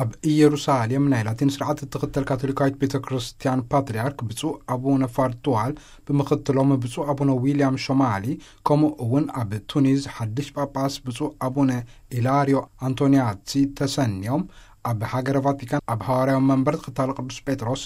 ኣብ ኢየሩሳሌም ናይ ላቲን ስርዓት እትኽተል ካቶሊካዊት ቤተ ክርስቲያን ፓትርያርክ ብፁዕ ኣቡነ ፋርትዋል ብምኽትሎም ብፁዕ ኣቡነ ዊልያም ሾማሊ፣ ከምኡ እውን ኣብ ቱኒዝ ሓድሽ ጳጳስ ብፁዕ ኣቡነ ኢላሪዮ ኣንቶኒያቲ ተሰንዮም፣ ኣብ ሃገረ ቫቲካን ኣብ ሃዋርያዊ መንበር ተኸታሊ ቅዱስ ጴጥሮስ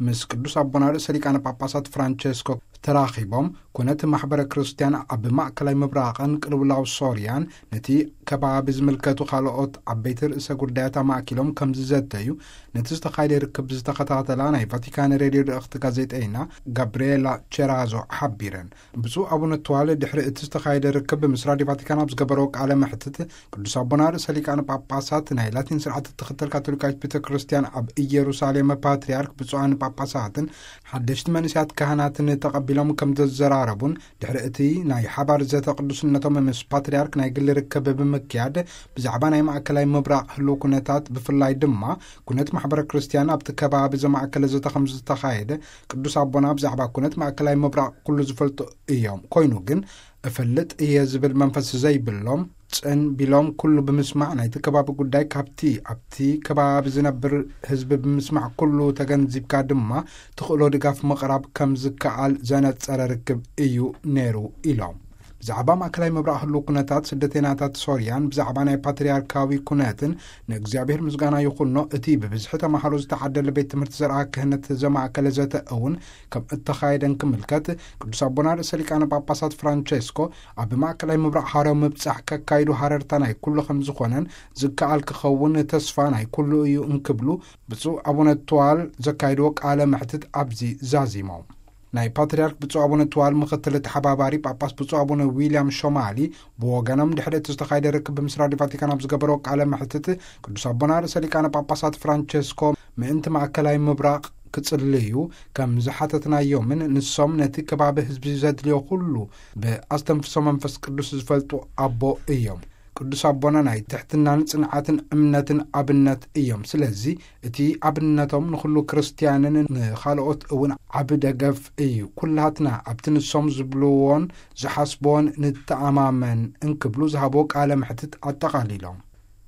ምስ ቅዱስ ኣቦና ርእሰ ሊቃነ ጳጳሳት ፍራንቸስኮ ተራኺቦም፣ ኩነት ማሕበረ ክርስቲያን ኣብ ማእከላይ ምብራቕን ቅልውላው ሶርያን ነቲ ከባቢ ዝምልከቱ ካልኦት ዓበይቲ ርእሰ ጉዳያት ኣማእኪሎም ከም ዝዘተዩ፣ ነቲ ዝተኻየደ ርክብ ዝተኸታተላ ናይ ቫቲካን ሬድዮ ልእኽቲ ጋዜጠይና ጋብርኤላ ቸራዞ ሓቢረን። ብፁዕ ኣቡነ ትዋል ድሕሪ እቲ ዝተኻየደ ርክብ ምስ ራድዮ ቫቲካን ኣብ ዝገበረዎ ቃለ መሕትት፣ ቅዱስ ኣቦና ርእሰ ሊቃነ ጳጳሳት ናይ ላቲን ስርዓት እትኽተል ካቶሊካዊት ቤተ ክርስቲያን ኣብ ኢየሩሳሌም ፓትርያርክ ብፁዓን ጳጳሳትን ሓደሽቲ መንእሰያት ካህናትን ተቐቢሎም ከም ዘዘራረቡን፣ ድሕሪ እቲ ናይ ሓባር ዘተ ቅዱስነቶም ምስ ፓትርያርክ ናይ ግሊ ርክብ ብምክያድ፣ ብዛዕባ ናይ ማእከላይ ምብራቕ ህልው ኩነታት ብፍላይ ድማ ኩነት ማሕበረ ክርስቲያን ኣብቲ ከባቢ ዘማእከለ ዘተ ከም ዝተኻየደ፣ ቅዱስ ኣቦና ብዛዕባ ኩነት ማእከላይ ምብራቕ ኩሉ ዝፈልጡ እዮም፣ ኮይኑ ግን እፈልጥ እየ ዝብል መንፈስ ዘይብሎም፣ ጽን ቢሎም ኩሉ ብምስማዕ ናይቲ ከባቢ ጉዳይ ካብቲ ኣብቲ ከባቢ ዝነብር ህዝቢ ብምስማዕ ኩሉ ተገንዚብካ ድማ ትኽእሎ ድጋፍ ምቕራብ ከም ዝከኣል ዘነጸረ ርክብ እዩ ነይሩ ኢሎም። ብዛዕባ ማእከላይ ምብራቕ ህልው ኩነታት ስደተይናታት ሶርያን ብዛዕባ ናይ ፓትርያርካዊ ኩነትን ንእግዚኣብሔር ምስጋና ይኹኖ፣ እቲ ብብዝሒ ተማሃሮ ዝተዓደለ ቤት ትምህርቲ ዘርኣ ክህነት ዘማእከለ ዘተ እውን ከም እተኻየደን ክምልከት፣ ቅዱስ ኣቦና ርእሰ ሊቃነ ጳጳሳት ፍራንቸስኮ ኣብ ማእከላይ ምብራቕ ሃርያዊ ምብጻሕ ከካይዱ ሃረርታ ናይ ኩሉ ከም ዝኾነን ዝከኣል ክኸውን ተስፋ ናይ ኩሉ እዩ እንክብሉ ብፁዕ ኣቡነ ትዋል ዘካየድዎ ቃለ መሕትት ኣብዚ ዛዚሞም። ናይ ፓትርያርክ ብፁዕ ኣቡነ ትዋል ምኽትል ተሓባባሪ ጳጳስ ብፁዕ ኣቡነ ዊልያም ሾማሊ ብወገኖም ድሕሪ እቲ ዝተኻየደ ርክብ ምስ ራድዮ ቫቲካን ኣብ ዝገበረዎ ቃለ መሕትት ቅዱስ ኣቦና ርእሰ ሊቃነ ጳጳሳት ፍራንቸስኮ ምእንቲ ማእከላይ ምብራቕ ክጽልዩ ከም ዝሓተትናዮምን ንሶም ነቲ ከባቢ ህዝቢ ዘድልዮ ኩሉ ብኣስተንፍሶ መንፈስ ቅዱስ ዝፈልጡ ኣቦ እዮም። ቅዱስ ኣቦና ናይ ትሕትናን ጽንዓትን እምነትን ኣብነት እዮም። ስለዚ እቲ ኣብነቶም ንኹሉ ክርስትያንን ንኻልኦት እውን ዓቢ ደገፍ እዩ። ኩላትና ኣብቲ ንሶም ዝብልዎን ዝሓስብዎን ንተኣማመን እንክብሉ ዝሃብዎ ቃለ መሕትት ኣጠቓሊሎም።